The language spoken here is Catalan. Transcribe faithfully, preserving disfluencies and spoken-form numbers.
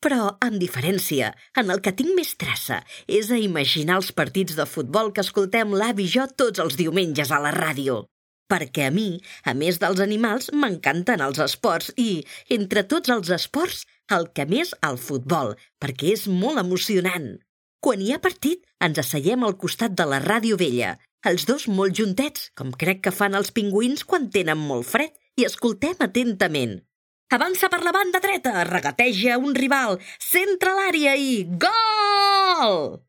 Però, amb diferència, en el que tinc més traça és a imaginar els partits de futbol que escoltem l'avi i jo tots els diumenges a la ràdio. Perquè a mi, a més dels animals, m'encanten els esports i, entre tots els esports, el que més el futbol, perquè és molt emocionant. Quan hi ha partit, ens asseiem al costat de la ràdio vella, els dos molt juntets, com crec que fan els pingüins quan tenen molt fred, i escoltem atentament. Avança per la banda dreta, regateja un rival, centra l'àrea i gol!